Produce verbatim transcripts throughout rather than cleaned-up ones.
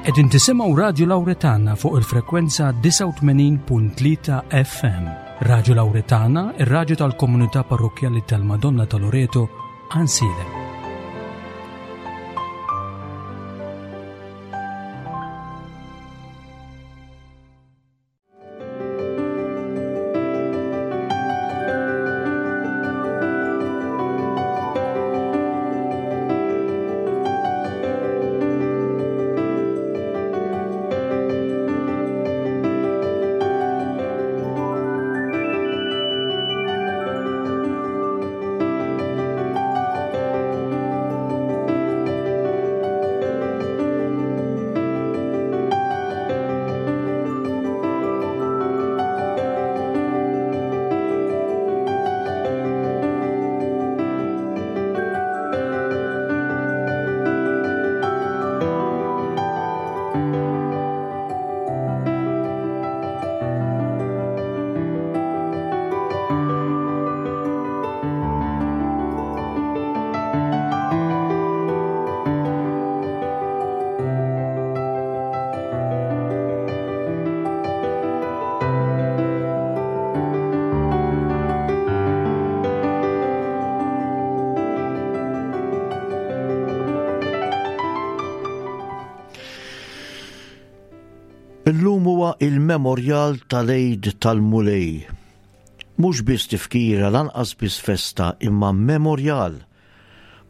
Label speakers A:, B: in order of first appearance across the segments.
A: Qegħdin tisimgħu Radju Lawretana fuq il-frekwenza disgħa u tmenin punt tlieta F M. Radju Lawretana, ir-radju tal-Komunità Parrokkjali tal-Madonna ta' Loreto, Għajnsielem.
B: Illum huwa il-memorjal tal-Għid tal-Mulej. Mhux biss tifkira, lanqas biss festa, imma memorjal.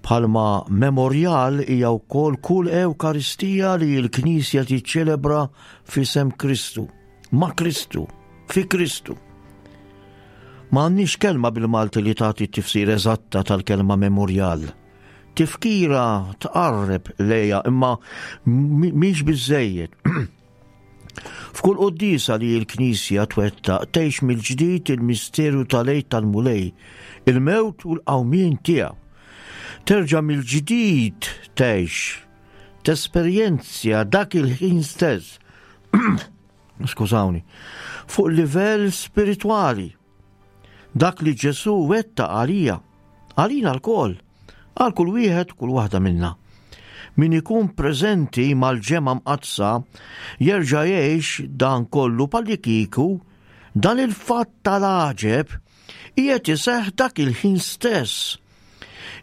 B: Bħalma memorjal hija wkoll kull Ewkaristija li l-Knisja tiċċelebra f'isem Kristu, ma' Kristu, fi Kristu. Ma għandniex kelma bil-Malti li tagħti tifsir eżatta tal-kelma memorjal. Tifkira tqarreb lejha, imma mhix biżejjed. F'kull quddisa li l-Knisja twettaq tgħix mill-ġdid il-misteru tal-Għid tal-Mulej, il-mewt u l-qawmien tiegħu. Terġa' mill-ġdid tgħix, tesperjenzja dak il-ħin stess. Skużawni. Fuq livell spiritwali. Dak li Ġesu wettaq għalija, għalina lkoll, għal kull wieħed, kull waħda minna. Min ikun preżenti mal-ġemgħa mqaddsa jerġa' jgħix dan kollu bħallikieku dan il-fatt tal-għaġeb qiegħed iseħħ dak il-ħin stess.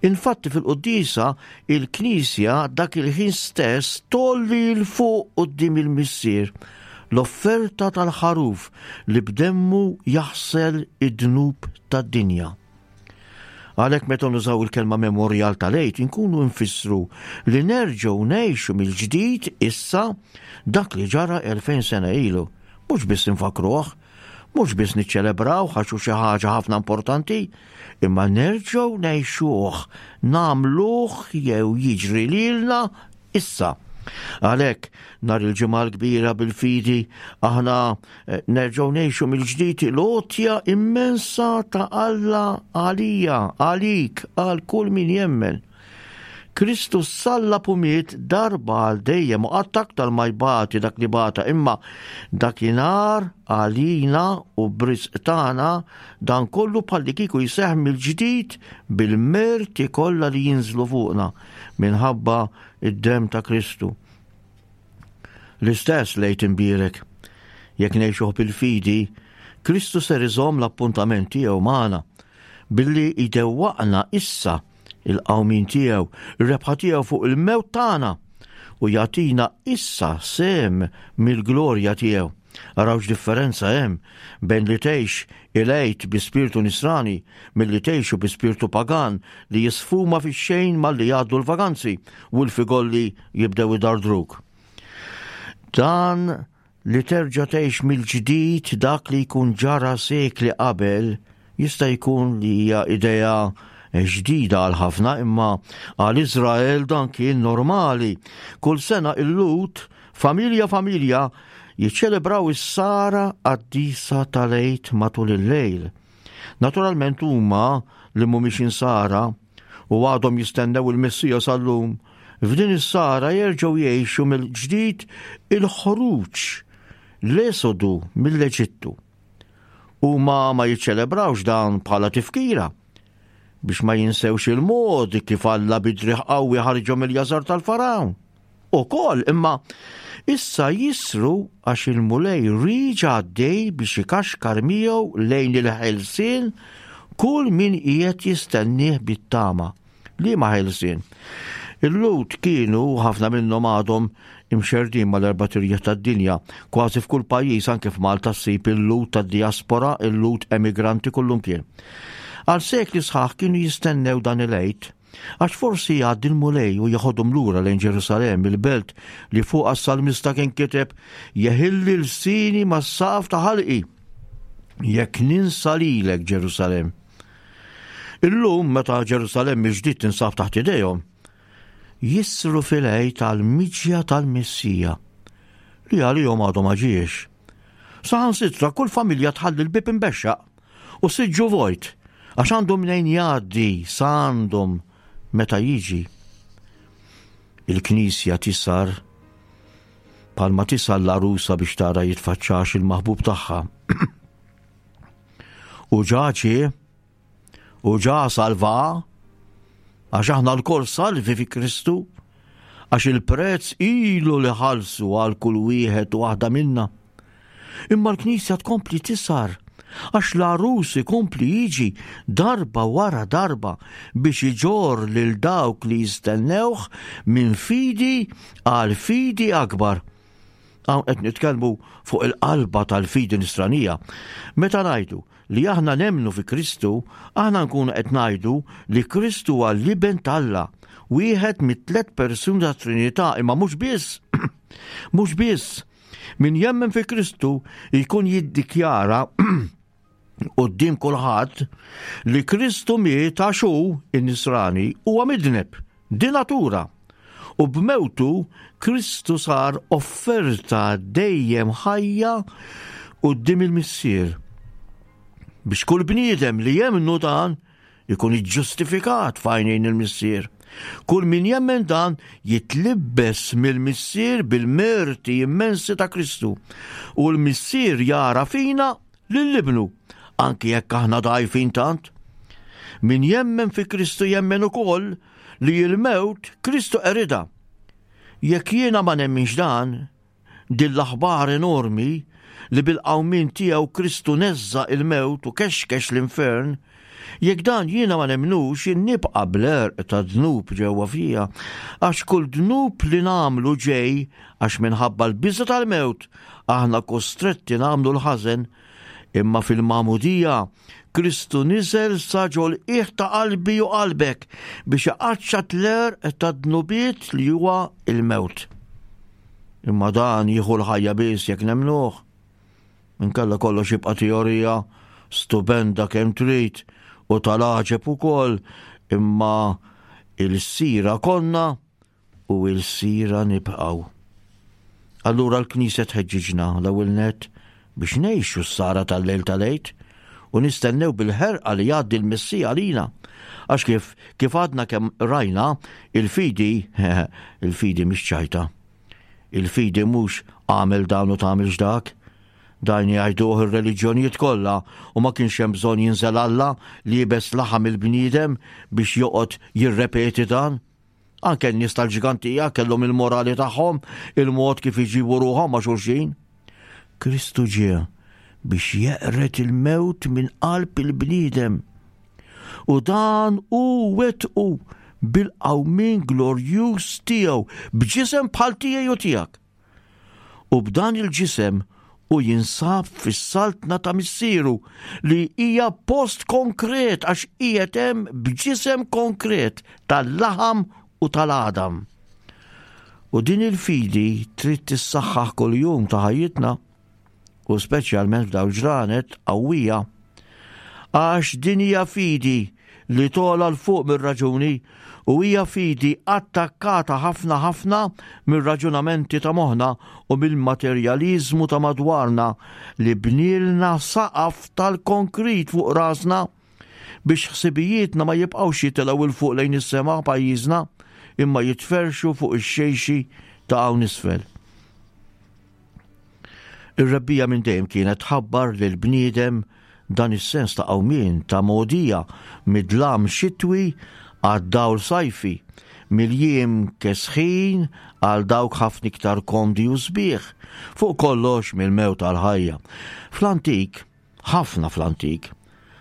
B: Infatti fil-quddisa il-Knisja dak il-ħin stess tgħolli 'l fuq quddiem il-Missier l-offerta tal-ħaruf li b'demmu jaħsel id-dnub tad-dinja. Għalhekk meta nużaw il-kelma memorial tal-Għid inkunu nfissru li nerġgħu ngħixu mill-ġdid issa dak li ġara elfejn sena ilu. Mhux biss infakruh, mhux biss niċċelebraw għax hu xi ħaġa ħafna importanti, imma nerġgħu ngħixuh, nagħmluh jew jiġri lilna issa. Għalhekk, nhar il-Ġimgħa l-Kbira bil-fidi, aħna eh, nerġgħu ngħixu mill-ġdid l-għotja immensa ta' Alla għalija, għalik, għal kull min jemmen. Kristu sallab u miet darba għal dejjem u qatt aktar ma jbati dak li bata, imma dakinhar għalina u b'risq tagħna dan kollu bħallikieku jseħħ mill-ġdid bil-merti kollha li jinżlu fuqna minħabba id-dem ta' Kristu. L-istess l-Għid imbierek. Jekk ngħixuh bil-fidi, Kristu ser iżomm l-appuntament tiegħu magħna billi jdewwaqna issa il-qawmin tiegħu, ir-rebħa tiegħu fuq il-mewt tagħna u jagħtina issa sehem mill-glorja tiegħu. Araw differenza hemm bejn li tgħix il-Għid bi spiritu nisrani milli tgħixu bi spiritu pagan li jisfuma fix-xejn malli jgħaddu l-vaganzi u l-figolli jibdew idardruk. Dan li terġa' tgħix mill-ġdid dak li jkun ġara sekli qabel jista' jkun li hija idea ġdida għal ħafna, imma għal Izrael dan kien normali. Kull sena il-Lhud, familja familja, jiċċelebraw is-sara qaddisa tal-Għid matul il-lejl. Naturalment huma li mhumiex insara u għadhom jistennew il-Messija sal-lum, f'din is-sara jerġgħu jgħixu mill-ġdid il-ħruġ, l-esodu mill-Eġittu. Huma ma jiċċelebrawx dan bħala tifkira biex ma jinsewx il-mod kif Alla bi driegħ qawwi ħarġhom mill-jasar tal-Farawn. Ukoll imma issa jisru għax il-Mulej riġa għaddej biex ikaxkar miegħu lejn il-ħelsien kull min qiegħed jistennieh bit-tama. Liema ħelsien? Il-Lhud kienu ħafna minnhom għadhom imxerdin mal-erbat irjieħ tad-dinja. Kważi f'kull pajjiż anke f'Malta ssib il-Lhud tad-diaspora, il-Lhud emigranti kullumkien. Għal sekli sħaħ kienu jistennew dan il-Għid, għax forsi jgħaddi l-Mulej u jeħodhom lura lejn Ġerusalemm, il-belt li fuqha s-salmista kien kiteb jeħilli lsini mas-saqaf ta' ħalqi jekk ninsa lilek Ġerusalemm. Illum meta Ġerusalemm il-ġdid tinsab taħt idejhom, jisru fil-Għid tal-miġja tal-Messija li għalihom għadhom ma ġiex. Saħansitra kull familja tħalli l-bib imbexxaq u siġġu vojt għax għandhom mnejn jgħaddi sa għandhom meta jiġi. Il-Knisja tisar palma tisar l-għarusa biex tara jitfaċċax il-maħbub tagħha. U ġaċi u ġa salva għax aħna lkoll salvi fi Kristu, għax il-prezz ilu li ħalsu għal kull wieħed u waħda minna. Imma l-Knisja tkompli tisar, għax l-għarus ikompli jiġi darba wara darba biex iġorr lil dawk li jistennewh minn fidi għal fidi akbar. Hawn qed nitkellmu fuq il-qalba tal-fidi nisranija. Meta ngħidu li aħna nemmnu fi Kristu, aħna nkunu qed ngħidu li Kristu huwa l-Iben t'Alla, wieħed mit-tliet persuni tat-Trinità, imma mhux biss. Mhux biss. Min jemmen fi Kristu jkun jiddikjara quddiem kulħadd li Kristu miet għax hu in-nisrani huwa midneb, di natura. U b'mewtu Kristu sar offerta dejjem ħajja quddiem il-Missier. Biex kull bniedem li jemnu dan ikun iġġustifikat f'għajnejn il-Missier. Kull min jemmen dan jitlibbes mill-Missier bil-merti immensi ta' Kristu. U l-Missier jara fina lil ibnu, anki jekk aħna dgħajfin tant. Min jemmen fi Kristu jemmen ukoll li l-mewt Kristu qeridha. Jekk jiena ma nemminx dan, din l-aħbar enormi li bil-qawmien tiegħu Kristu neżża il-mewt u kexkex l-infern, jekk dan jiena ma nemnux, nibqa' bl-għerq ta' dnub ġewwa fija, għax kull dnub li nagħmlu ġej għax minħabba l-biża' tal-mewt aħna kostretti nagħmlu l-ħażen, imma fil-magħmudija Kristu niżel sa ġol-qiegħ ta' qalbi u qalbek biex iqaċċat l-għerq ta' dnubiet li huwa il-mewt. Imma dan jieħu l-ħajja biss jekk nemnuh. Inkella kollox jibqa' teorija stupenda kemm trid u tal-għaġeb ukoll, imma il-sira konna u il-sira nibqgħu. Allura l-Knisja tħeġġiġna l-ewwel nett biex ngħixu s-sara tal-lejl tal-Għid u nistennew bil-ħerqa li jgħaddi l-Messija għalina. Għax kif, kif għadna kemm rajna, il-fidi, il-fidi mhix ċajta. Il-fidi mhux għamel dan u tagħmilx dak. Dan jgħiduh ir-reliġjonijiet kollha u ma kienx hemm bżonn jinżel Alla li jibes laħam il-bniedem biex joqgħod jirrepeti dan. Anke n-nies tal-ġgantija kellhom il-morali tagħhom, il-mod kif iġibu ruħhom ma' xulxin. Kristu ġie biex jeqred il-mewt minn qalb il-bniedem. U dan hu wettqu bil-qawmien glorjuż tiegħu b'ġisem bħal tiegħi u tiegħek. U b'dan il-ġisem u jinsab fis-saltna ta' missieru li hija post konkret għax qiegħed hemm b'ġisem konkret tal-laħam u tal-għadam. U din il-fidi trid tissaħħaħ kuljum ta' ħajjitna u speċjalment f'dawn ġranet qawwija. Għax din hija fidi li togħla 'l fuq mir-raġuni u hija fidi attakkata ħafna ħafna mir-raġunamenti ta' moħħna u mill-materjaliżmu ta' madwarna li bnilna saqaf tal-konkrit fuq rasna biex ħsibijietna ma jibqgħux jitilgħu 'l fuq lejn is-sema pajjiżna imma jitferxu fuq ix-xejxi ta' hawn isfel. Ir-rebbija minn dejjem kienet tħabbar lil bniedem dan is-sens ta' qawmien ta' mogħdija mid-dlam xitwi għad-dawl sajfi, Mill-jiem kesħin għal dawk ħafna iktar komdi u sbieħ, fuq kollox mill-mewt għal ħajja. Fl-antik, ħafna fl-antik,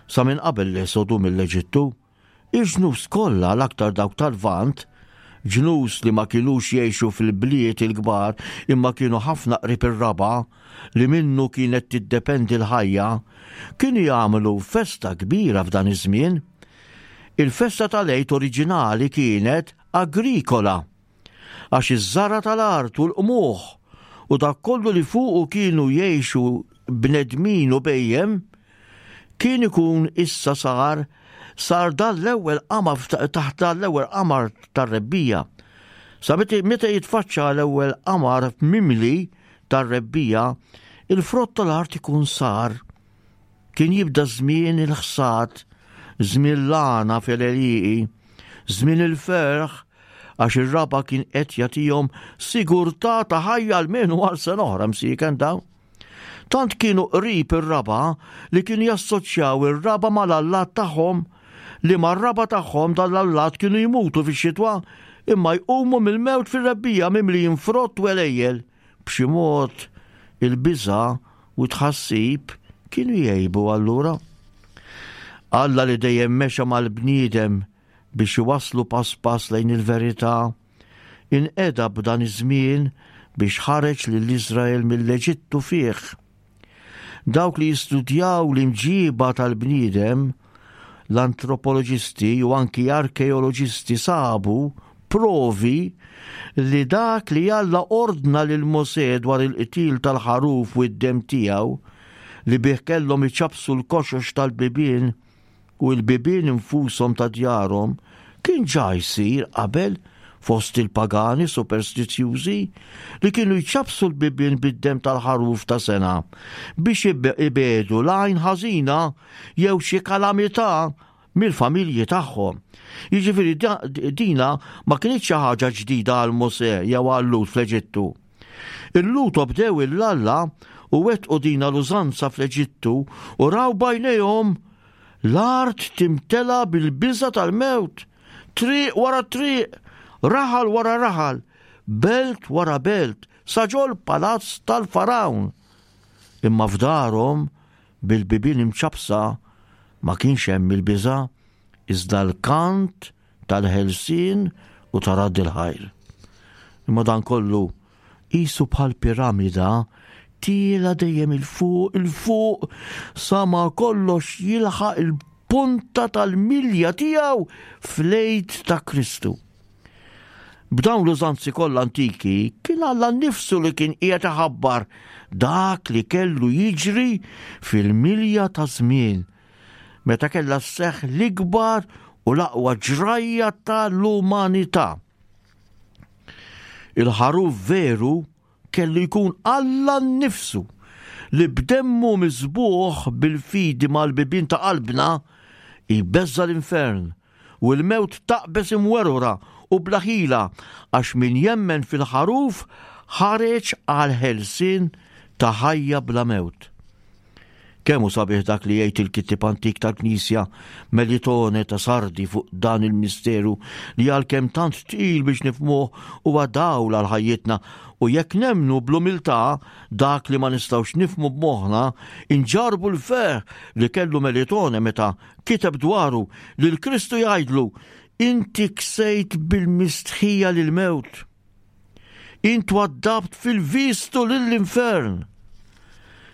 B: sa minn qabel l-esodu mill-Eġittu, il-ġnus kollha, l-aktar dawk tal-Lvant, ġnus li ma kinux jgħixu fil-bliet il-kbar imma kienu ħafna qrib ir-raba' li minnu kienet tiddependi l-ħajja, kienu jagħmlu festa kbira f'dan iż-żmien. Il-festa tal-Għid oriġinali kienet agrikola, għax iż-żara tal-art u l-qmuħ u dak kollu li fuqu kienu jgħixu bnedmin u bhejjem kien ikun issa sar sar dan l-ewwel qamar, taħt dan l-ewwel qamar tar-rebbiegħa. Sa meta jitfaċċa l-ewwel qamar mimli tar-rebbiegħa, il-frott tal-art ikun sar. Kien jibda żmien il-ħsad, żmien l-għana fil-għelieqi, żmien il-ferħ, għax ir-raba' kien qed jagħtihom sigurtà ta' ħajja almenu għal sena oħra msieken dawn. Tant kienu qrib ir-raba' li kienu jassoċjaw ir-raba' mal-allat tagħhom, li mar-raba' tagħhom dal-allat kienu jmutu fix-xitwa imma jqumu mill-mewt fir-rebbiegħa mimlijin frott u għelejjel. B'xi mod il-biża' u tħassib kienu jgħibu allura. Alla li dejjem mexa mal-bniedem biex iwaslu pass pass lejn il-verità, inqeda b'dan iż-żmien biex ħareġ lil Iżrael mill-Eġittu fih. Dawk li jistudjaw l-imġiba tal-bniedem, l-antropoloġisti u anki arkeoloġisti sabu provi li dak li Alla ordna lil Mosè dwar il-qtil tal-ħaruf u d-dem tiegħu li bih kellhom iċappsu l-koxox tal-bibien u l-bibien infushom ta' djarhom kien ġa jsir qabel fost il-pagani superstizjużi li kienu jċappsu l-bibien bid-dem tal-ħaruf ta' sena biex ibedu l-għajn ħażina jew xi kalamità mill-familji tagħhom. Jiġifieri dina ma kinitx xi ħaġa ġdida għal Mosè jew għal Lhud fl-Eġittu. Il-Lhud obdew 'l Alla u wettqu dina l-użanza fl-Eġittu u raw b'għajnejhom l-art timtela bil-biża tal-mewt, triq wara triq, raħal wara raħal, belt wara belt, sa ġol palazz tal-Farawn. Imma f'darhom bil-bibien imċappsa ma kienx hemm il-biża, iżda l-kant tal-ħelsien u ta' radd il-ħajr. Imma dan kollu qisu bħal piramida tiela dejjem 'il fuq, 'il fuq, sa ma kollox jilħaq il-punta tal-milja tiegħu fl-Għid ta' Kristu. B'dawn l-użanzi kollha antiki kien Alla nnifsu li kien qiegħed iħabbar dak li kellu jiġri fil-milja ta' żmien meta kellha sseħħ l-ikbar u l-aqwa ġrajja tal-umanità. Il-ħaruf veru kellu jkun Alla nnifsu li b'demmu miżbuħ bil-fidi mal-bibien ta' qalbna jbeżża l-infern u l-mewt taqbeż imwerwra u bla ħila, għax min jemmen fil-ħaruf ħareġ għal ħelsien ta' ħajja bla mewt. Kemm hu sabiħ dak li jgħid il-kittieb antik tal-Knisja Melitone ta' Sardi fuq dan il-misteru li għalkemm tant tqil biex nifhmuh huwa dawl għal ħajjitna, u jekk nemmnu bl-umiltà dak li ma nistgħux nifhmu b'moħħna, inġarbu l-ferħ li kellu Melitone meta kiteb dwaru li l-Kristu jgħidlu: inti ksejt bil-mistħija lil-mewt, int waddabt fil-vistu lill-infern,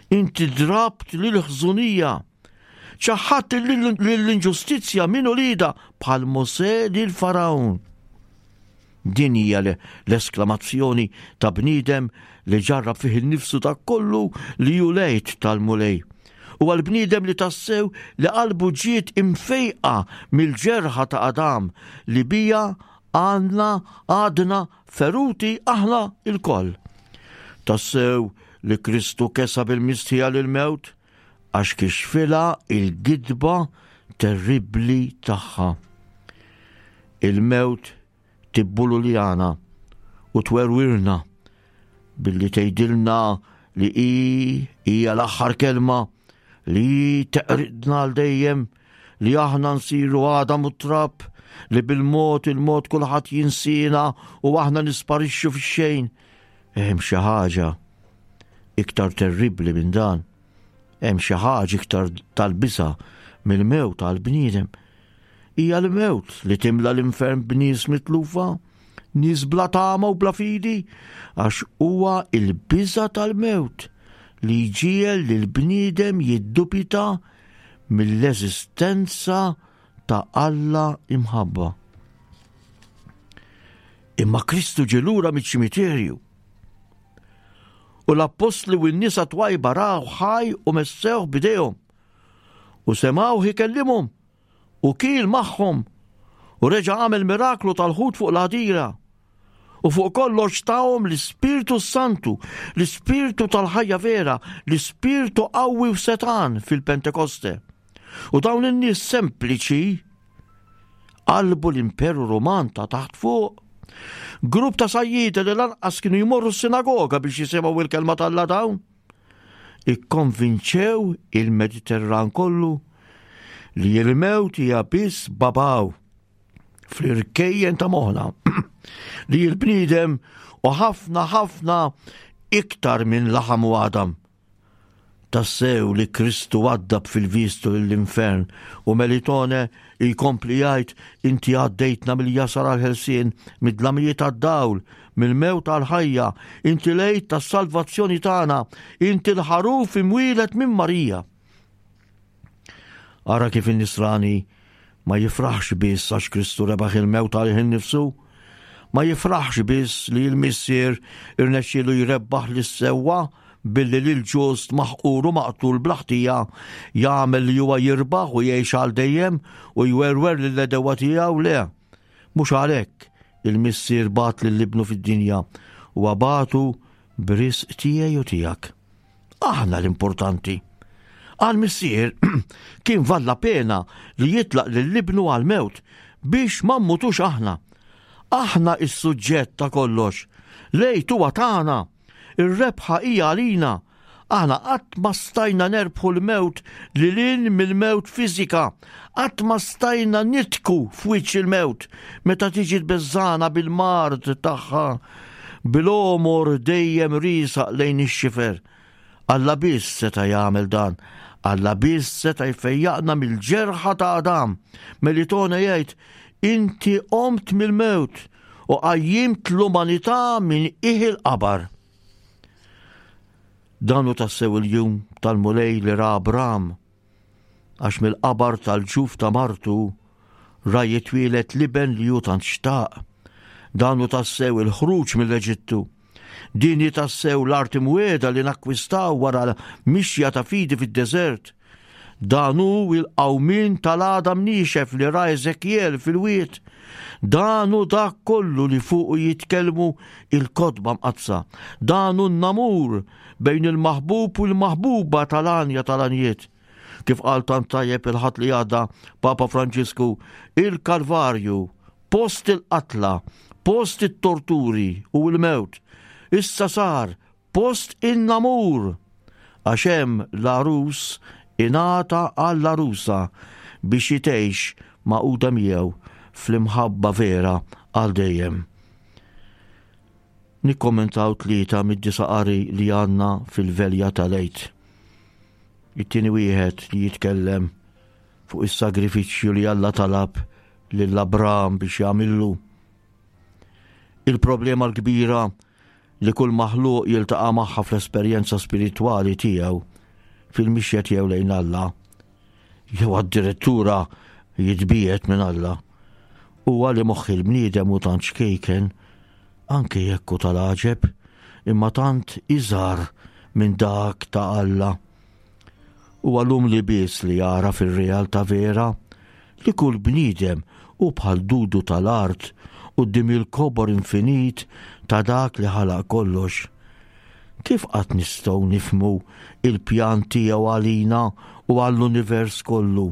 B: inti drabt lil-ħżunija, ċaħħadt lill-inġustizzja minn uliedha bħal Mosè lil Farawn. Din hija l-esklamazzjoni ta' bniedem li ġarrab fih innifsu ta' kollu li hu l-Għid tal-Mulej. U għal-bniedem li tassew li qalbu ġiet imfejqa mill-ġerħa ta' Adam li bija għandna għadna feruti aħna il-koll. Tassew li Kristu kesa bil-mistħija lil-mewt għax kixfilha il-gidba terribli tagħha. Il-mewt tibbululjana u twerwirna billi tgħidilna li hi hija l-aħħar kelma, li teqridna għal dejjem, li aħna nsiru għadam u trab, li bil-mod il-mod kulħadd jinsina u aħna nisparixxu fix-xejn. Hemm xi ħaġa iktar terribbli minn dan. Hemm xi ħaġa iktar tal-biża' mill-mewt tal-bniedem. Hija l-mewt li timla l-infern b'nies mitlufa, nies bla tama u bla fidi, għax huwa il-biża' tal-mewt li jġiegħel lill-bniedem jiddubita mill-eżistenza ta' Alla imħabba. Imma Kristu ġie lura miċ-ċimiterju. U l-appostli u n-nisa twajba raw ħaj u messewh b'idejhom. U semgħuh ikellimhom u kiel magħhom u reġa' għamel miraklu tal-ħut fuq l-għadira. U fuq kollox tahom l-Ispirtu Santu, l-Ispirtu tal-ħajja vera, l-Ispirtu qawwi u setgħan fil-Pentekoste. U dawn in-nies sempliċi qalbu l-Imperu Ruman ta' taħt fuq. Grupp ta' sajjieda li lanqas kienu jmorru s-sinagoga biex jisimgħu il-kelma t'Alla dawn. Ikkonvinċew il-Mediterran kollu li l-mewt hija biss babaw fl-irkejjen ta' moħħna li l-bniedem u ħafna ħafna iktar minn laħam u għadam. Tassew li Kristu għaddab fil-vistu l-infern u Melitone jkompli jgħid inti għaddejtna mill-jasar għal-ħelsien, mid-dlamijiet għad-dawl, mill-mewt għal-ħajja, inti l-Għid tas-salvazzjoni tagħna, inti l-ħaruf imwieled minn Marija. Ara kif in-nisrani ma jifraħx biss għax Kristu rebaħ il-mewt għalih innifsu, ma jifraħx biss li l-Missier irnexxielu jrebbaħ lis-sewwa billi lil ġust maħqur u maqtul bla ħtija jagħmel li huwa jirbaħ u jgħix għal dejjem u jwerwer lill-għedewwa tiegħu le. Mhux għalhekk il-Missier bagħat lil ibnu fid-dinja u bagħtu b'risq tiegħi u tiegħek. Aħna l-importanti. Għal-Missier kien valla pena li jitlaq lil ibnu għal-mewt biex ma mmutux aħna. Aħna is-suġġett ta' kollox. L-Għid huwa tagħna. Ir-rebħa hija għalina. Aħna qatt ma stajna nerbħu l-mewt lil hinn mill-mewt fiżika. Qatt ma stajna nidħku f'wiċċ il-mewt meta tiġi tbeżżagħna bil-mard tagħha, bil-għomor dejjem riesaq lejn ix-xifer. Alla biss seta' jagħmel dan. Alla biss seta' jfejjaqna mill-ġerħa ta' Adam. Melitone jgħid, inti qomt mill-mewt u qajjimt l-umanità minn qiegħ il-qabar. Dan hu tassew il-jum tal-Mulej li ra Abram, għax mill-qabar tal-ġuf ta' martu ra jitwieled l-iben li hu tant xtaq. Dan hu tassew il-ħruġ mill-Eġittu. Din hi tassew l-art imwiegħda li nakkwistaw wara mixja ta' fidi fid-deżert. Dan hu il-qawmien tal-għadam niexef li ra Ezekiel fil-wied. Dan hu dak kollu li fuqu jitkellmu il-kotba mqaddsa. Dan hu n-namur bejn il-maħbub u l-maħbuba tal-għanja tal-għanjiet. Kif qal tant tajjeb il-Ħadd li għadda Papa Franġisku, il-Kalvarju, post il-qatla, post it-torturi u l-mewt, issa sar post in-namur, għax hemm l-għarus ingħata għall-għarusa biex jgħix magħquda miegħu fl-imħabba vera għal dejjem. Nikkommentaw tlieta mid-disa' qari li għandna fil-velja tal-Għid. It-tieni wieħed li jitkellem fuq is-sagrifiċċju li Alla talab lil Abram biex jagħmillu. Il-problema l-kbira li kull maħluq jiltaqa' magħha fl-esperjenza spiritwali tiegħu fil-mixja tiegħu lejn Alla, jew addirittura jitbiegħed minn Alla, huwa li moħħ il-bniedem hu tant xkejken, anke jekk hu tal-għaġeb, imma tant iżgħar minn dak ta' Alla. Huwa l-umli biss li jara fir-realtà vera li kull bniedem hu bħal dudu tal-art quddiem il-kobor infinit ta' dak li ħalaq kollox. Kif qatt nistgħu nifhmu il-pjan tiegħu għalina u għall-univers kollu?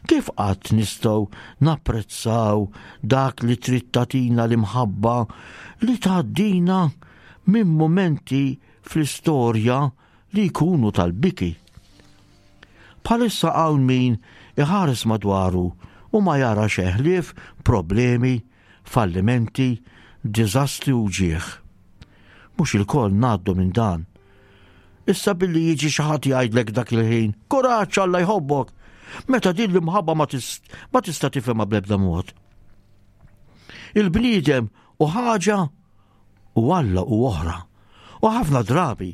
B: Kif qatt nistgħu napprezzaw dak li trid tagħtina l-imħabba li tgħaddina minn mumenti fl-istorja li jkunu tal-biki? Bħalissa hawn min iħares madwaru u ma jara xejn ħlief problemi, fallimenti, diżastri u ġieħ. Mhux ilkoll ngħaddu minn dan. Issa billi jiġi xi ħadd jgħidlek dak il-ħin, kuraġġ, Alla jħobbok, meta din l-imħabba ma tista' tifhimha bl-ebda mod. Il-bniedem hu ħaġa u Alla hu oħra. U ħafna drabi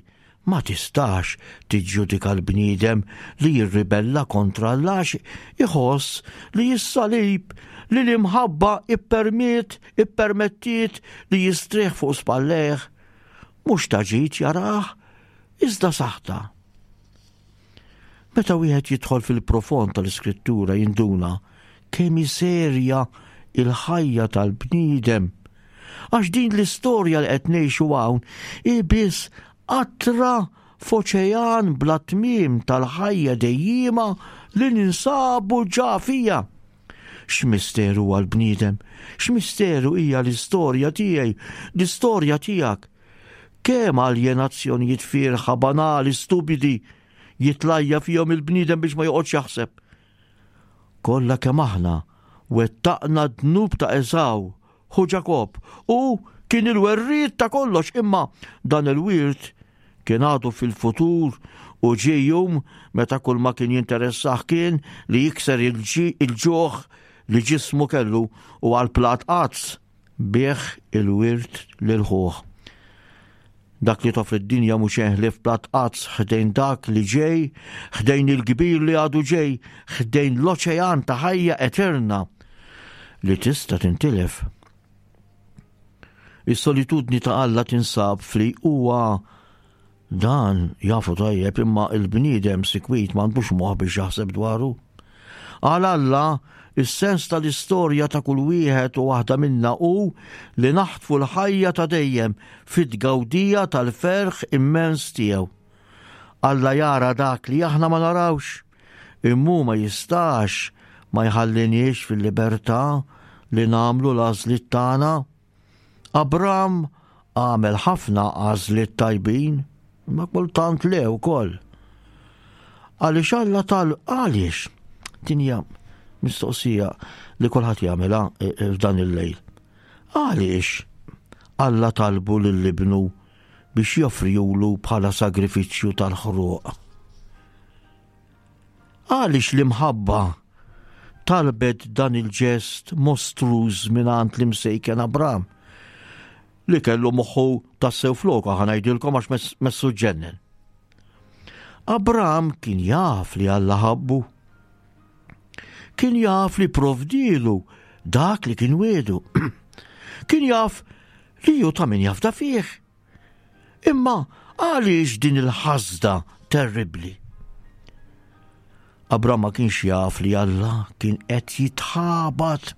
B: ma tistax tiġġudika l-bniedem li jirribella kontra Alla għax iħoss li s-salib li l-imħabba ippermiet, ippermettiet li jistrieħ fuq spallejh, mhux ta' ġid jarah, iżda saħta. Meta wieħed jidħol fil-profond tal-Iskrittura jinduna kemm hi serja il-ħajja tal-bniedem. Għax din l-istorja li qed ngħixu hawn hi biss qatra f'oċean bla tmiem tal-ħajja dejjima li ninsabu ġa fija. X'misteru għall-bniedem, x'misteru hija l-istorja tiegħi, l-istorja tiegħek. Kemm aljenazzjonijiet fiergħa, banali, stupidi jitlajja fihom il-bniedem biex ma joqgħodx jaħseb. Kollha kemm aħna wettaqna dnub ta' Eżaw, ħu Ġakob, u kien il-werriet ta' kollox, imma dan il-wirt kien għadu fil-futur u ġie jum meta kull ma kien jinteressah kien li jikser il-ġuħ li ġismu kellu u għal plat għads biegħ il-wirt lil ħuh. Dak li toffri d-dinja mhux ħlief plat għads ħdejn dak li ġej, ħdejn il-kbir li għadu ġej, ħdejn l-oċean ta' ħajja eterna li tista' tintilef. Is-solitudni ta' Alla tinsab fli huwa dan jafu tajjeb, imma il-bniedem sikwit m'għandux moħħ biex jaħseb dwaru. Għal Alla, is-sens tal-istorja ta' kull wieħed u waħda minna hu li naħtfu l-ħajja ta' dejjem fit-tgawdija tal-ferħ immens tiegħu. Alla jara dak li aħna ma narawx, imma ma jistax ma jħalliniex fil-libertà li nagħmlu l-għażliet tagħna. Abram għamel ħafna għażliet tajbin, ma kultant le wkoll. Għaliex Alla tal għaliex? Din hija mistoqsija li kulħadd jagħmilha f'dan il-lejl. Għaliex Alla talbu lil ibnu biex joffrilu bħala sagrifiċċju tal-ħruq? Għaliex l-imħabba talbet dan il-ġest mostruż mingħand l-imsejken Abram li kellu moħħu tassew floka, ħa ngħidilkom, għax messu ġennen. Abram kien jaf li Alla ħabbu. Kien jaf li provdilu dak li kien wiegħdu. Kien jaf li hu ta' min jafda fih. Imma għaliex din il-ħasda terribli? Abram ma kienx jaf li Alla kien qed jitħabat.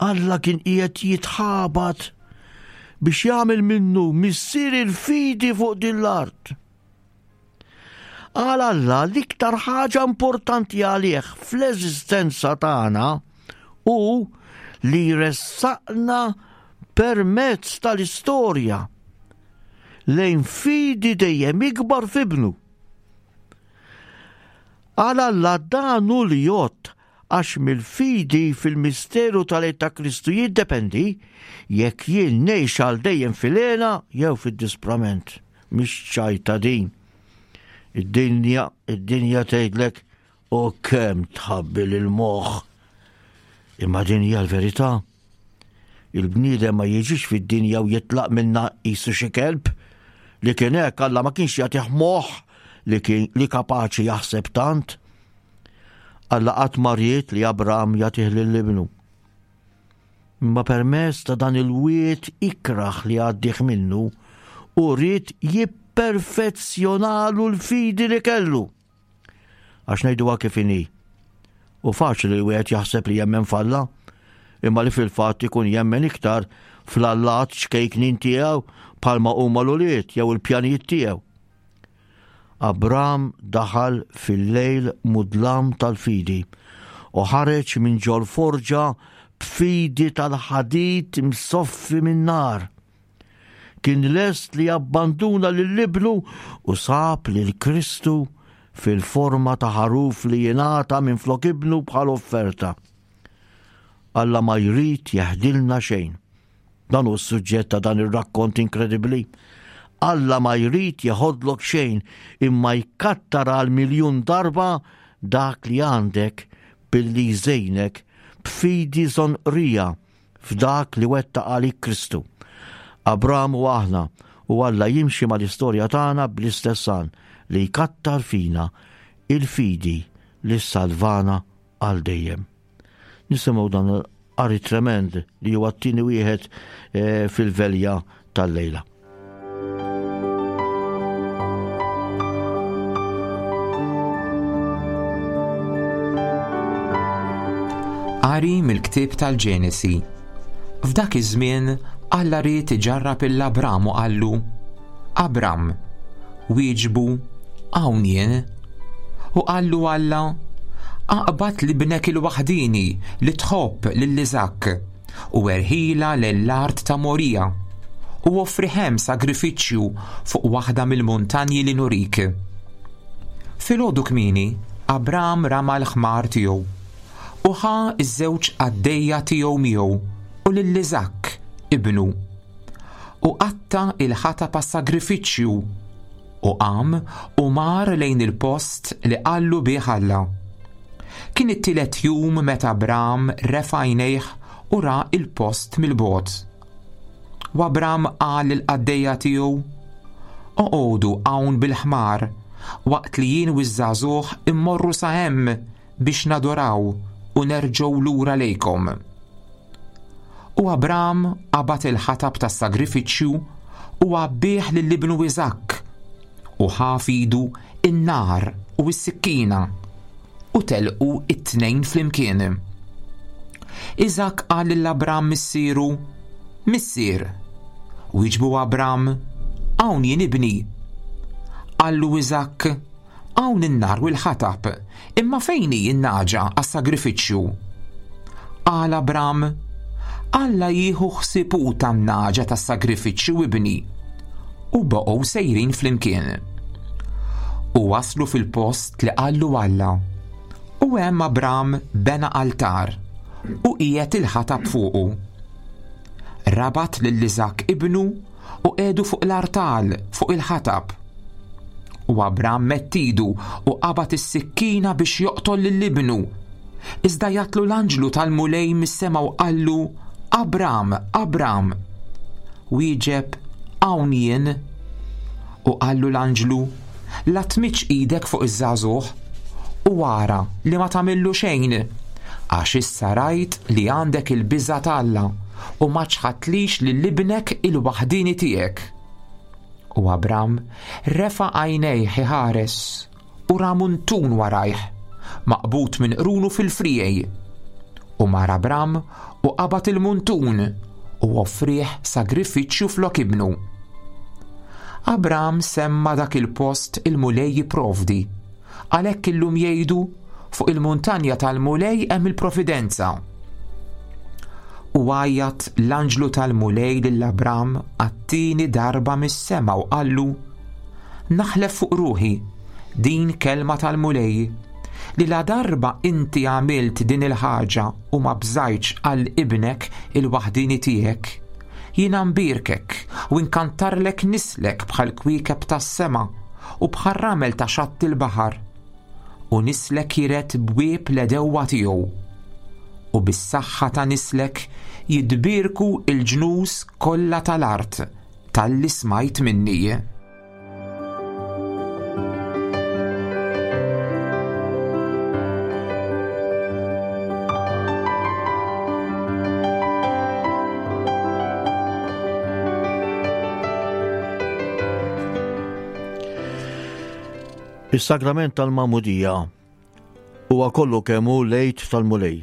B: Alla kien qiegħed jitħabat biex jagħmel minnu missier il-fidi fuq din l-art. Għal Alla l-iktar ħaġa importanti għalih fl-eżistenza tagħna hu li jressaqna permezz tal-istorja lejn fidi dejjem ikbar f'ibnu. Għal Alla dan hu li jgħodd, għax mill-fidi fil-misteru tal-għid ta' Kristu jiddependi jekk jien ngħix għal dejjem fil-hena jew fid-disprament. Mhix ċajta din. Id-dinja, id-dinja tgħidlek u kemm tħabbil il-moħħ. Imma din hija l-verità. Il-bniedem ma jiġix fid-dinja u jitlaq minna qisu xi kelb li kien hekk Alla ma kienx jagħtih moħħ li kien li kapaċi jaħseb tant. Alla qatt ma ried li Abram jagħtih lil ibnu. Imma permezz ta' dan il-wied ikraħ li għaddih minnu u ried jipperfezzjonalu l-fidi li kellu. Għax ngħiduha kif inhi. U faċli li wieħed jaħseb li jemmen f'Alla, imma li fil-fatt ikun jemmen iktar fl-allat ċkejknin tiegħu bħalma huma l-ulied jew il-pjanijiet tiegħu. Abram daħal fil-lejl mudlam tal-fidi u ħareġ minn ġol forġa b'fidi tal-ħadid msoffi minn nar. Kien lest li jabbanduna lil ibnu u sab lil Kristu fil-forma ta' ħaruf li jingħata minflok ibnu bħal offerta. Alla ma jrid jeħdilna xejn. Dan hu s-suġġett ta' dan ir-rakkont inkredibbli. Alla ma jrid jeħodlok xejn imma jkattar għal miljun darba dak li għandek billi jżejnek b'fidi żonqrija f'dak li wettaq għalik Kristu. Abram u aħna u Alla jimxi mal-istorja tagħna bl-istess għan li jkattar fina il-fidi li salvana għal dejjem. Nisimgħu dan qari tremend li huwa t-tieni wieħed eh, fil-velja tal-lejla.
C: Qari mill-ktieb tal-Ġenesi. F'dak iż-żmien Alla ried iġarrab lil Abram u qallu: Abram, wieġbu, hawn jien. U qallu Alla: Aqbad 'l ibnek il-waħdini li tħobb lil Iżakk u erħilha l-art ta' Morija u offrih hemm sagrifiċċju fuq waħda mill-muntanji li nurik. Filgħodu kmieni, Abram rama l-ħmar tiegħu u ħa iż-żewġ qaddejja tiegħu miegħu u lil Iżakk ibnu u qatta' il-ħatab għas-sagrifiċċju u qam u mar lejn il-post li qallu bih Alla. Kien it-tielet jum meta Abram refa' għajnejh u ra il-post mill-bogħod. U Abram qal lill-qaddejja tiegħu: Oqogħdu hawn bil-ħmar waqt li jien u ż-żagħżugħ immorru sa hemm biex nadoraw u nerġgħu lura lejkom. U Abram qabad il-ħatab tas-sagrifiċċju u għabbih lil ibnu Iżakk u ħa f'idu in-nar u s-sikkina u telqu it-tnejn flimkien. Iżakk qal lil Abram missieru: Missier. Wieġbu Abram: Hawn jien ibni. Qallu Iżakk: Hawn in-nar u l-ħatab, imma fejn hi n-nagħġa għas-sagrifiċċju? Qal Abram: Alla jieħu ħsieb hu tan-nagħġa tas-sagrifiċċju ibni. U baqgħu sejrin flimkien. U waslu fil-post li qallu Alla. U hemm Abram bena altar u qiegħed il-ħatab fuqu. Rabat lil Iżakk ibnu u qiegħdu fuq l-artal fuq il-ħatab. U Abram medd idu u qabad is-sikkina biex joqtol lil ibnu. Iżda għajjatlu l-anġlu tal-Mulej mis-sema u qallu: Abram, Abram. Wieġeb: Hawn jien. U qallu l-anġlu: La tmiddx idek fuq iż-żagħżugħ u ara li ma tagħmillu xejn, għax issa rajt li għandek il-biża' t'Alla u ma ċħadtlix lil ibnek il-waħdini tiegħek. U Abram refa' għajnejh iħares u ra muntun warajh, maqbud minn qrunu fil-friegħi. U mar Abram u qabad il-muntun u offrih sagrifiċċju flok ibnu. Abram semma dak il-post il-Mulej jipprovdi. Għalhekk illum jgħidu fuq il-muntanja tal-Mulej hemm il-providenza. U għajjat l-anġlu tal-Mulej lil Abram għat-tieni darba mis-sema u qallu: Naħlef fuq ruħi, din kelma tal-Mulej, li la darba inti għamilt din il-ħaġa u ma bżajtx għal ibnek il-waħdini tiegħek, jiena nbierkek u nkattarlek nislek bħal kwiekeb tas-sema u bħal ramel ta' xatt il-baħar, u nislek jiret bwieb l-għedewwa tiegħu. U bis-saħħa ta' nislek jitbierku il-ġnus kollha tal-art talli smajt minni.
B: Is-sagrament tal-Magħmudija huwa kollu kemm hu l-Għid tal-Mulej.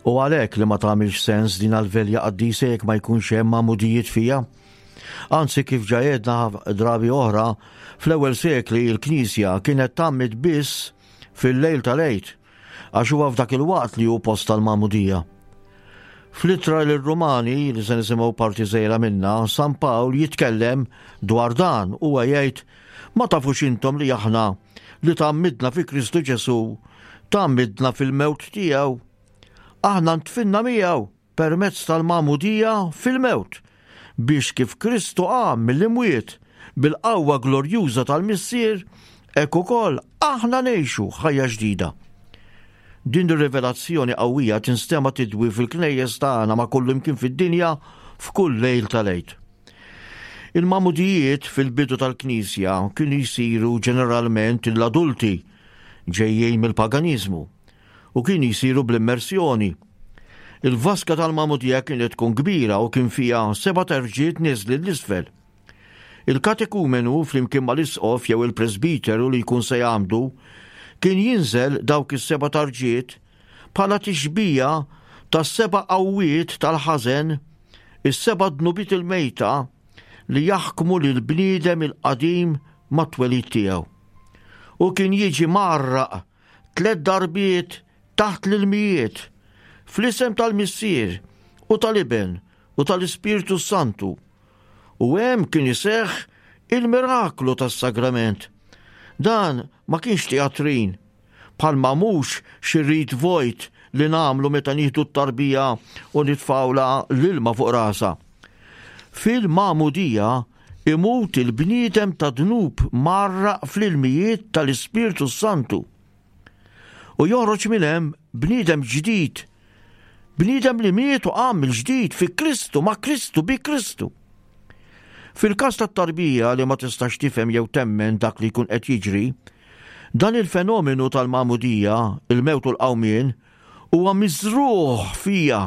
B: U għalhekk li ma tagħmilx sens din għal-velja qaddisa jekk ma jkunx hemm magħmudijiet fija. Anzi, kif ġa għedna drabi oħra, fl-ewwel sekli l-Knisja kienet tgħammid biss fil-lejl tal-Għid, għax huwa f'dak il-waqt li hu post tal-Magħmudija. Fl-ittra lir-Rumani, li se nisimgħu parti żgħira minnha, San Pawl jitkellem dwar dan, huwa jgħid: Ma tafux intom li aħna li tgħammidna fi Kristu Ġesù, tgħammidna fil-mewt tiegħu. Aħna ntfinna miegħu permezz tal-magħmudija fil-mewt, biex kif Kristu qam mill-imwiet bil-qawwa glorjuża tal-Missier, hekk ukoll aħna ngħixu ħajja ġdida. Din ir-rivelazzjoni qawwija tinstema' tidwi fil-knejjes tagħna ma' kullimkien fid-dinja f'kull lejl tal-Għid. Il-magħmudijiet fil-bidu tal-Knisja kienu jsiru ġeneralment l-adulti ġejjin mill-paganiżmu u kienu jsiru bl-immersjoni. Il-vaska tal-magħmudija kienet tkun kbira u kien fiha seba' terġiet niżli l-isfel. Il-katekumenu flimkien mal-isqof jew il-presbiteru li jkun se jgħammdu kien jinżel dawk is-seba' tarġiet bħala tixbija tas-seba' qawwiet tal-ħażen, is-seba' dnubiet il-mejta li jaħkmu lil bniedem il-qadim mat-twelid tiegħu. U kien jiġi mgħarraq tliet darbiet taħt l-ilmijiet fl-isem tal-Missier u tal-Iben u tal-Ispirtu Santu. U hemm kien iseħħ il-miraklu tas-sagrament. Dan ma kienx teatrin, bħalma mhux xi rit vojt li nagħmlu meta nieħdu t-tarbija u nitfgħulha l-ilma fuq rasha. Fil-magħmudija imut il-bniedem ta' dnub mgħarraq fl-ilmijiet tal-Ispirtu Santu. U joħroġ minn hemm bniedem ġdid, bniedem li miet u qam mill-ġdid fi Kristu, ma' Kristu, bi Kristu. Fil-każ tat-tarbija li ma tistax tifhem jew temmen dak li jkun qed jiġri, dan il-fenomenu tal-magħmudija, il-mewt u l-qawmien, huwa miżrugħ fija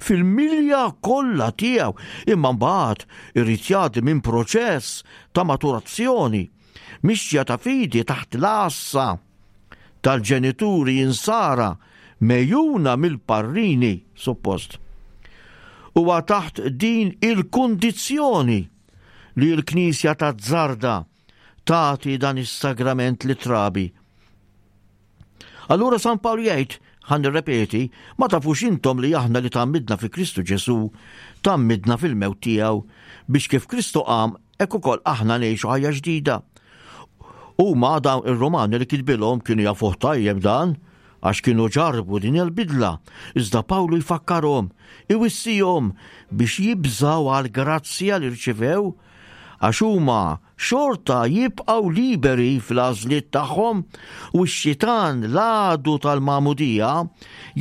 B: fil-milja kollha tiegħu, imma mbagħad irid jgħaddi minn proċess ta' maturazzjoni, mixja ta' fidi taħt l-għassa tal-ġenituri insara mejjuna mill-parrini suppost. Huwa taħt din il-kundizzjoni li l-Knisja tazzarda tagħti dan is-sagrament lit-trabi. Allura San Pawl jgħid, ħa nirrepeti, ma tafux intom li aħna li tgħammidna fi Kristu Ġesù, tgħammidna fil-mewt tiegħu, biex kif Kristu qam, hekk ukoll aħna ngħixu ħajja ġdida. Huma dawn ir-Romani li kitbilhom kienu jafuh tajjeb dan, għax kienu ġarbu din il-bidla. Iżda Pawlu jfakkarhom, iwissihom biex jibżaw għal grazzja li rċivew, għax huma xorta jibqgħu liberi fl-għażliet tagħhom u x-xitan l-għadu tal-magħmudija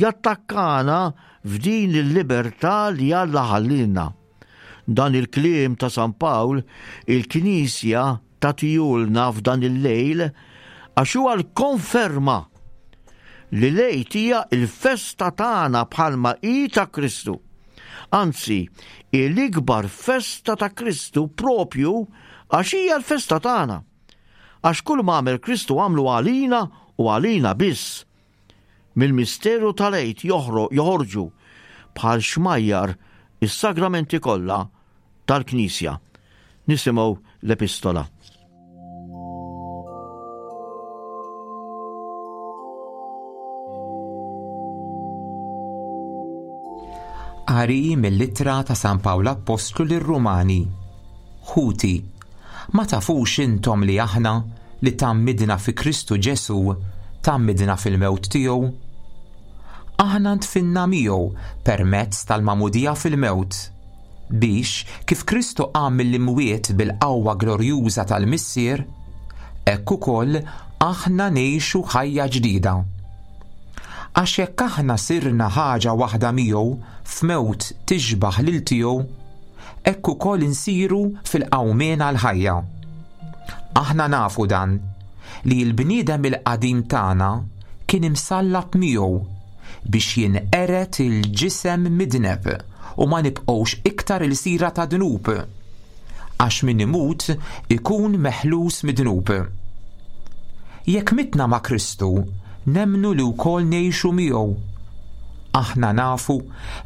B: jattakkana f'din il-libertà li Alla ħallilna. Dan il-kliem ta' San Pawl il-Knisja tagħtihulna f'dan il-lejl għax huwa l-konferma li l-Għid hija l-festa tagħna bħalma hi ta' Kristu. Anzi, l-ikbar festa ta' Kristu propju għax hija l-festa tagħna. Għax kull ma għamel Kristu għamlu għalina u għalina biss. Mill-misteru tal-Għid joħorġu bħal xmajjar is-sagramenti kollha tal-Knisja. Nisimgħu l-epistola.
C: Qari mill-ittra ta' San Pawl Appostlu lir-Rumani. Ħuti, ma tafux intom li aħna li tgħammidna fi Kristu Ġesù tgħammidna fil-mewt tiegħu? Aħna ntfinna miegħu permezz tal-magħmudija fil-mewt, biex kif Kristu qam mill-imwiet bil-qawwa glorjuża tal-Missier, hekk ukoll aħna ngħixu ħajja ġdida. Għax jekk aħna sirna ħaġa waħda miegħu f'mewt tixbaħ lil tiegħu, hekk ukoll insiru fil-qawmien għall-ħajja. Aħna nafu dan, li l-bniedem il-qadim tagħna kien imsallab miegħu biex jinqered il-ġisem midneb u ma nibqgħux iktar il-sira ta' dnub, għax min imut ikun meħlus mid-dnub. Jekk mitna ma' Kristu, nemmnu li wkoll ngħixu miegħu. Aħna nafu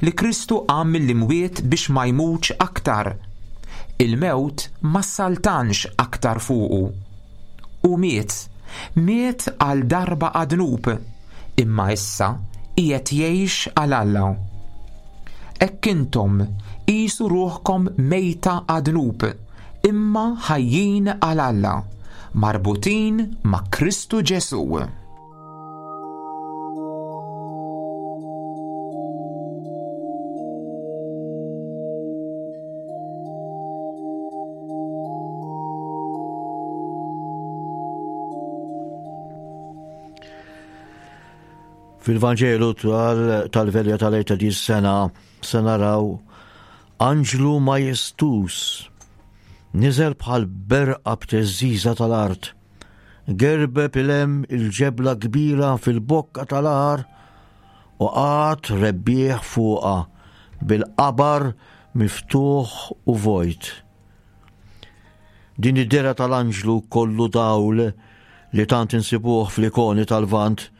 C: li Kristu qam mill-imwiet biex ma jmutx aktar. Il-mewt ma saltanx aktar fuqu. U miet, miet għal darba għad-dnub, imma issa qiegħed jgħix għal Alla. Hekk intom qisu ruħkom mejta għad-dnub, imma ħajjin għal Alla marbutin ma' Kristu Ġesù.
B: Fil-Vanġelu tal-Velja tal-Għid ta' din is-sena se naraw anġlu majestus niżel bħal berqa b'teżżiża tal-art, gerbeb il-hemm il-ġebla kbira fil-bokka tal-għar u qagħad rebbieħ fuqha bil-qabar miftuħ u vojt. Din id-dehra tal-anġlu kollu dawl li tant insibuh fl-ikoni tal-Lvant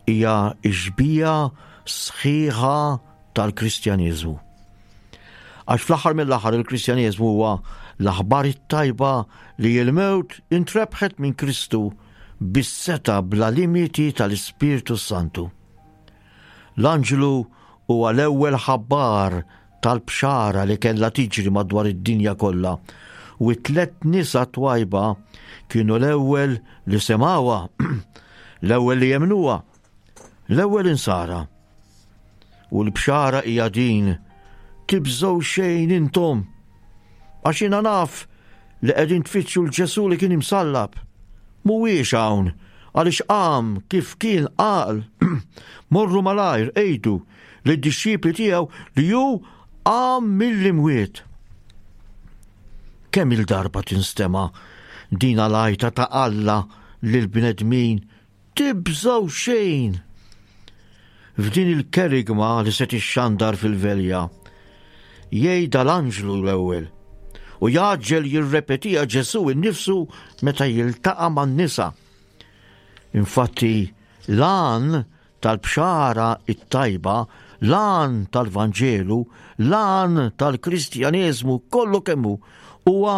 B: hija xbieha sħiħa tal-Kristjaneżmu. Għax fl-aħħar mill-aħħar il-Kristjaneżmu huwa l-aħbar it-tajba li l-mewt intrebħet minn Kristu bis-setgħa bla limiti tal-Ispirtu Santu. L-anġlu huwa l-ewwel ħabbar tal-bxara li kellha tiġri madwar id-dinja kollha, u t-tliet nisa twajba kienu l-ewwel li semgħuha, l-ewwel li jemnuha, l-ewwel insara. U l-bxara hija din: tibżgħu xejn intom, għax jiena naf li qegħdin tfittxu l-Ġesù li kien imsallab. Mhuwiex hawn, għaliex qam kif kien qal. Morru malajr għidu lid-dixxipli tiegħu li hu qam mill-imwiet. Kemm il-darba tinstema' din l-għajta ta' Alla lill-bnedmin: tibżgħu xejn. F'din il-kerigma li se tixxandar fil-velja, jgħidha l-anġlu l-ewwel u jaġġel jirrepetiha Ġesù innifsu meta jiltaqa' man-nisa. Infatti, l-għan tal-bxara it-tajba, l-għan tal-Vanġelu, l-għan tal-Kristjaneżmu kollu kemm hu huwa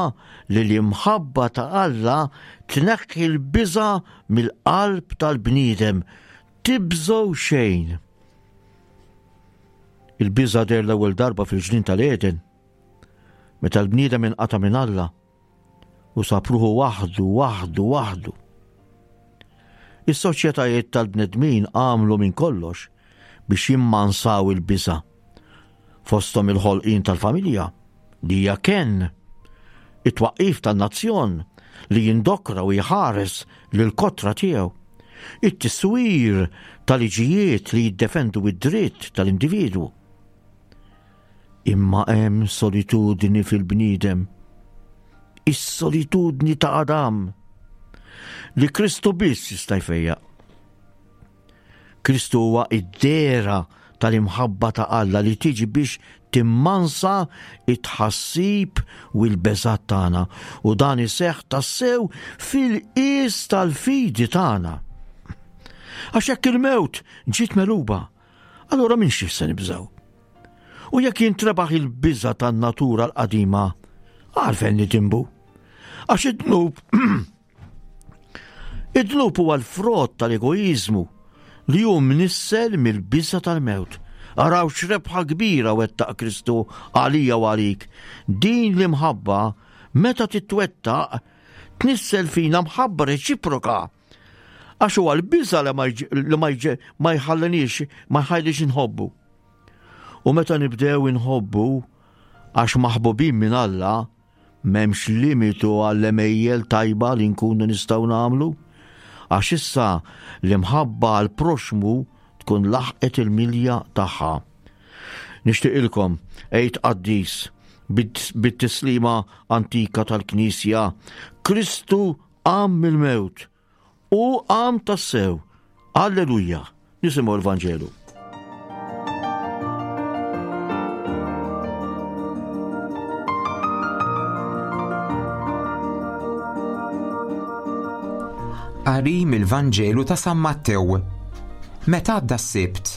B: li l-imħabba ta' Alla tneħħi l-biża' mill-qalb tal-bniedem. Tibżgħu xejn. Il-biża' deher l-ewwel darba fil-ġnien tal-Eden, meta l-bniedem inqata' minn Alla u sab ruħu waħdu, waħdu, waħdu. Is-soċjetajiet tal-bnedmin għamlu minn kollox biex jimmansaw il-biża', fosthom il-ħolqien tal-familja li hija kenn, it-twaqqif tan-nazzjon li jindokra u jħares lil kotra tiegħu, it-tiswir tal-liġijiet li jiddefendu id-dritt tal-individwu. Imma hemm solitudni fil-bniedem, is-solitudni ta' Adam, li Kristu biss jista' jfejjaq. Kristu huwa id-dehra tal-imħabba ta' Alla li tiġi biex timmansa it-tħassib u l-beżat tagħna, u dan iseħħ tassew fil-qies tal-fidi tagħna. Għax jekk il-mewt ġiet megħluba, allura minn xi se nibżgħu? U jekk jintrebaħ il-biża' tan-natura l-qadima, għalfejn nitimbu? Għax id-dnub id-dnub huwa l-frott tal-egoiżmu li hu mnissel mill-biża' tal-mewt. Araw x'rebħa kbira wettaq Kristu għalija u għalik. Din l-imħabba meta titwettaq tnissel fina mħabba reċiproka. Għax huwa l-biża' li ma jġ-, li ma jġ-, ma jħallinix, ma jħallix inħobbu. U meta nibdew inħobbu għax maħbubin minn Alla, m'hemmx limitu għall-għemejjel tajba li nkunu nistgħu nagħmlu, għax issa l-imħabba għal proxmu tkun laħqet il-milja tagħha. Nixtieqilkom Għid qaddis bit-, bit-tislima antika tal-Knisja: Kristu qam mill-mewt u qam tassew. Alleluja. Nisimgħu l-Vanġelu.
C: Qari mill-Vanġelu ta' San Mattew. Meta għadda s-Sibt,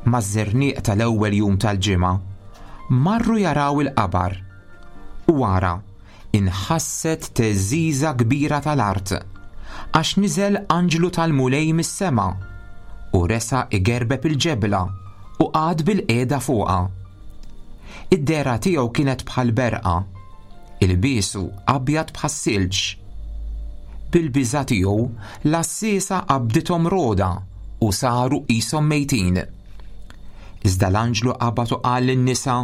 C: maż-żerniq tal-ewwel jum tal-ġimgħa, marru jaraw il-qabar. U wara, inħasset teżiża kbira tal-art, għax niżel anġlu tal-Mulej mis-sema u resa igerbeb il-ġebla u qagħad bil-qiegħda fuqha. Id-dehra tiegħu kienet bħal berqa, ilbiesu abjad bħas-silġ. Bil-biża' tiegħu, l-għassiesa qabdithom rogħda u saru qishom mejtin. Iżda l-anġlu qabad u qal lin-nisa,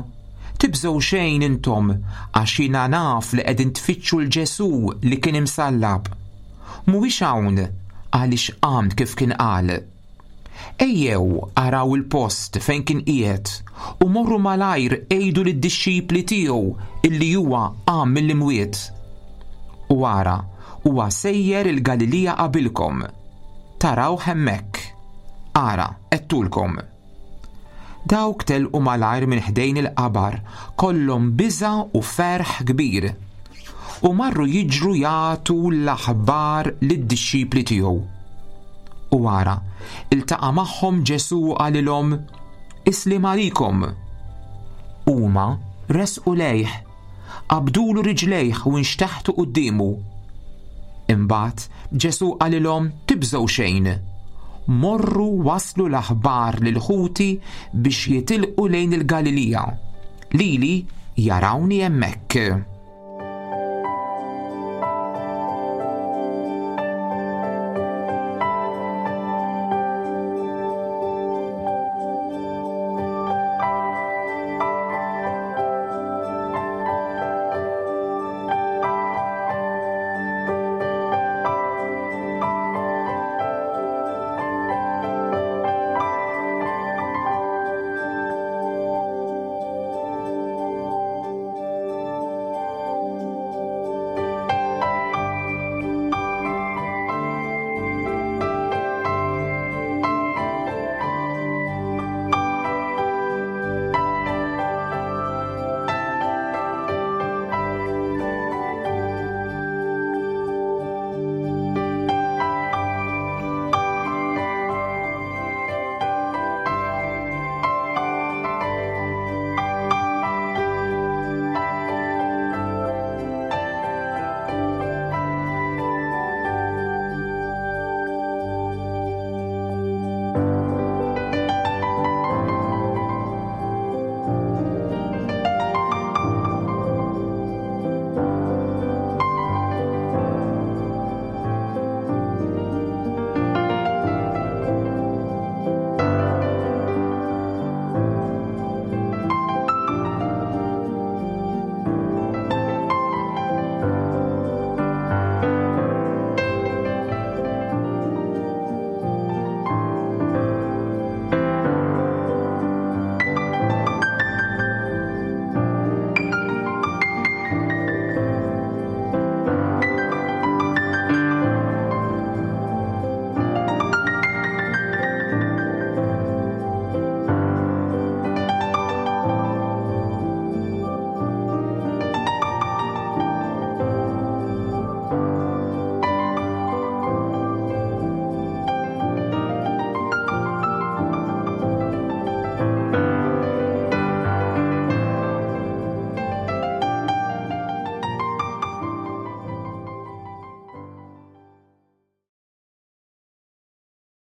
C: "Tibżgħu xejn intom, għax jiena naf li qegħdin tfittxu 'l Ġesù li kien imsallab. Mhuwiex hawn, għaliex qam kif kien qal. Ejjew araw il-post fejn kien qiegħed u morru malajr għidu lid-dixxipli tiegħu illi huwa qam mill-imwiet. U ara, huwa sejjer il-Galilija qabilkom. Tarawh hemmhekk. Ara, għedtulkom." Dawk telqu malajr minn ħdejn il-qabar, kollhom biża' u ferħ kbir, u marru jiġru jagħtu l-aħbar lid-dixxipli tiegħu. U ara, iltaqa' magħhom Ġesù u qalilhom, "Is-sliem għalikom." Huma resqu lejh, qabdulu riġlejh u nxteħtu quddiemu. Imbagħad Ġesù qalilhom, "Tibżgħu xejn. Morru waslu l-aħbar lil ħuti biex jitilqu lejn il-Galilija. Lili jarawni hemmhekk."